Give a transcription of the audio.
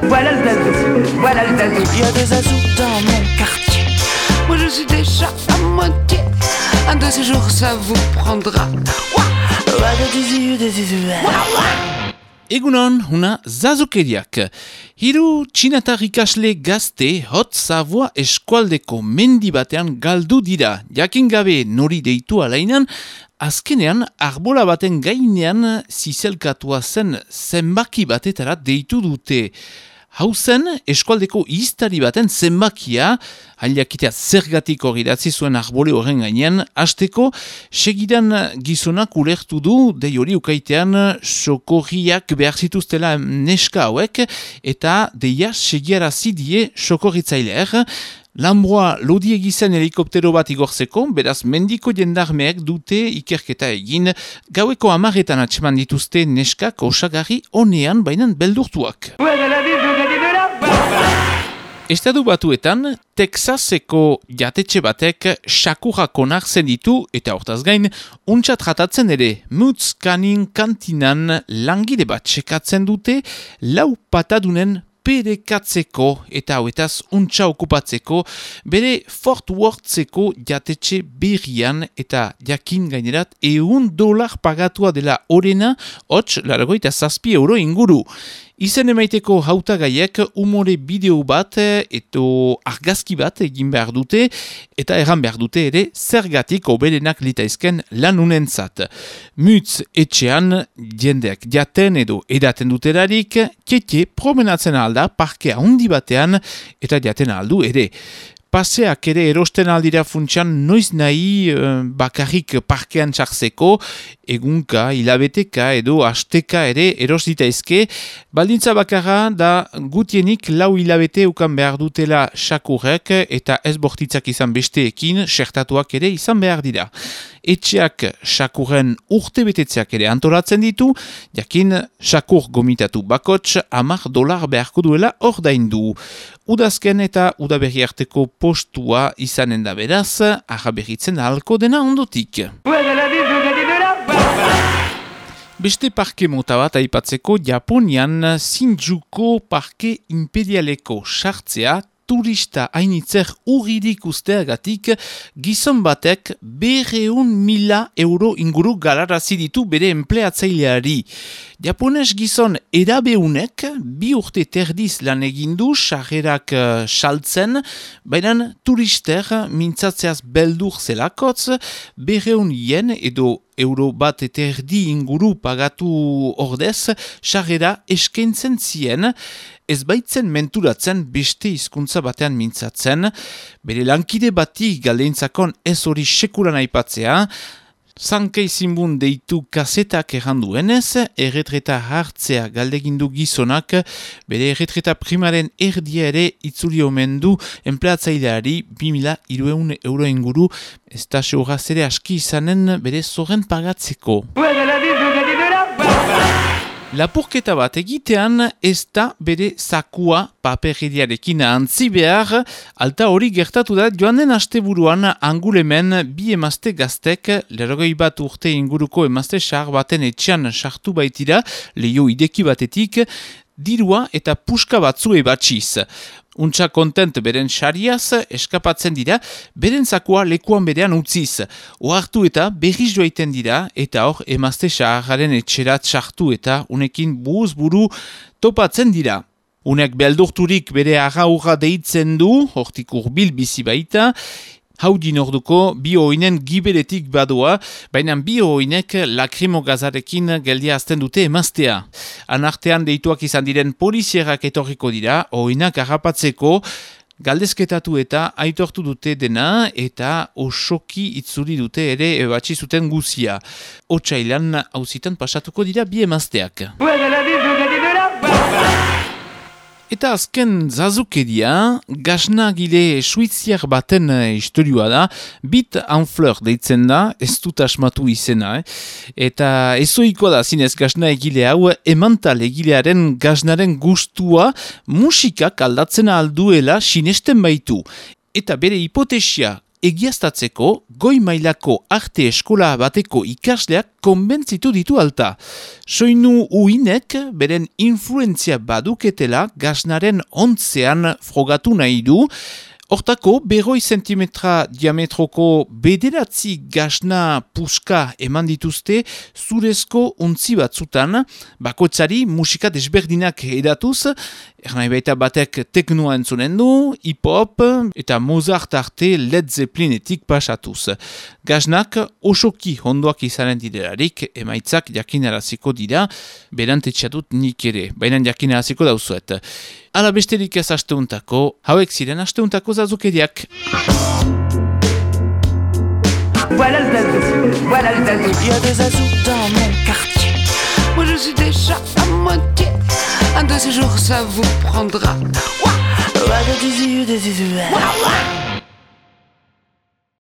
Voilà le zazou, voilà le zazou. Il y a des zazous dans mon quartier. Moi je suis déjà à moitié. Un de ces jours ça vous prendra. Egunon, una zazukeriak. Hiru txinatar ikasle gazte hot Savoie eskualdeko mendi batean galdu dira. Jakin gabe nori deitu alainan, azkenean arbola baten gainean zizelkatua zen zenbaki batetara deitu dute. Hau zen, eskualdeko iztari baten zenbakia, hailakitea zergatik hori datzi zuen arbole horren gainean, hasteko segidan gizonak ulertu du, dei hori ukaitean sokorriak behar zituztela neska hauek, eta deia segiarazi die sokorritzaileer. Lanbroa lodi egizen helikoptero bat igortzeko, beraz mendiko jendarmeek dute ikerketa egin, gaueko 10 atseman dituzte neskak osagarri onean bainan beldurtuak. Estatu Batuetan, Texaseko jatetxe batek sakurrak onartzen ditu eta hortaz gain, untsat jatatzen ere Mutz Canning kantinan langile bat sekatzen dute, 4 patadunen perekatzeko eta hauetaz untsa okupatzeko, bere Fort Wortheko jatetxe berrian eta jakin gainerat $100 pagatua dela orena, hots, 87 euro inguru. Izen emaiteko hautagaiek umore bideo bat eto argazki bat egin behar dute eta erran behar dute ere zergatik oberenak litaizken lanunentzat. Mutz etxean jendeak jaten edo edaten duterarik, keke promenatzen alda parkea handi batean eta jaten aldu ere. Paseak ere erosten aldira funtsan noiz nahi bakarrik parkean txarzeko, egunka, hilabeteka edo asteka ere eros ditaizke. Baldintza bakarra da gutienik 4 hilabete ukan behar dutela sakurrek eta ez bortitzak izan besteekin, sertatuak ere izan behar dira. Etxeak sakurren urte betetzeak ere antolatzen ditu, jakin sakur gomitatu bakots $10 beharko duela ordaindu. Udazken eta udaberri arteko postua izanen da beraz, arraberritzen ahalko dena ondotik. Beste parke mota bat aipatzeko Japonian Shinjuku parke imperialeko sartzea turista hainitzer urririk usteagatik gizon batek €100,000 inguru galarazi ditu bere enpleatzaileari. Japones gizon erabeunek 2 urte terdiz lan egindu sarrerak saltzen, baina turister mintzatzeaz beldur zelakotz, $100 edo euro bat eta erdi inguru pagatu ordez, sarrera eskaintzen zien, ez baitzen menturatzen beste hizkuntza batean mintzatzen, bere lankide bati galdeintzakon ez hori sekuran aipatzea, Sankei zinbun deitu kasetak erranduenez, erretreta hartzea galdegindu gizonak, bere erretreta primaren erdia ere itzuli omen du enpleatzaileari €2.300 inguru, ez da seuraz ere aski izanen bere zorren pagatzeko. Lapurketa bat egitean ez da bere zakua paperediarekin ahantzi behar, alta hori gertatu da joan den asteburuan Angulemen 2 emazte gaztek 81 urte inguruko emazte sahar baten etxean sartu baitira, leio ideki batetik, dirua eta puska batzu ebatxiz. Untsa kontent beren sariaz, eskapatzen dira, beren zakua lekuan berean utziz. Ohartu eta berriz joaiten dira, eta hor emazte sahararen etxerat sartu eta unekin buruz buru topatzen dira. Unek beldurturik bere arra deitzen du, hortik urbil bizi baita, haudin orduko bi oinen giberetik badoa, baina bi oinek lakrimo gazarekin geldia azten dute emaztea. Anartean deituak izan diren polizierak etorriko dira, oinak harrapatzeko, galdezketatu eta aitortu dute dena eta osoki itzuri dute ere batzi zuten guzia. Otsailan auzitan pasatuko dira bi emazteak. Eta azken zazukeria, gaznagile suiziar baten istorioa da, bit en fleur deitzen da, ez dut asmatu izena, eta ezoikoa da zinez gazna egile hau, emantal egilearen gaznaren gustua musikak aldatzen alduela sinesten baitu. Eta bere hipotesia egiaztatzeko goi mailako arte eskola bateko ikasleak konbentzitu ditu alta. Soinu uinek beren influentzia baduketela gaznaren ontzean frogatu nahi du. Hortako, 100 zentimetra diametroko 9 gazna puska eman dituzte zurezko untzi batzutan, bakoitzari musika desberdinak edatuz, ernai baita batek teknoa entzunen du, hip-hop eta Mozart arte Led Zeppelinetik pasatuz. Gaznak osoki hondoak izanen direlarik, emaitzak jakinaraziko dira, berantetxatut nik ere, baina jakinaraziko dauzuet. Ala besterik ez asteuntako, hauek ziren asteuntako zazukeriak. Voilà le zazou, voilà le zazou. Il y a des zazous dans mon quartier. Moi je suis déjà à moitié. Un de ces jours ça vous prendra. Ouah, ouah, ouah.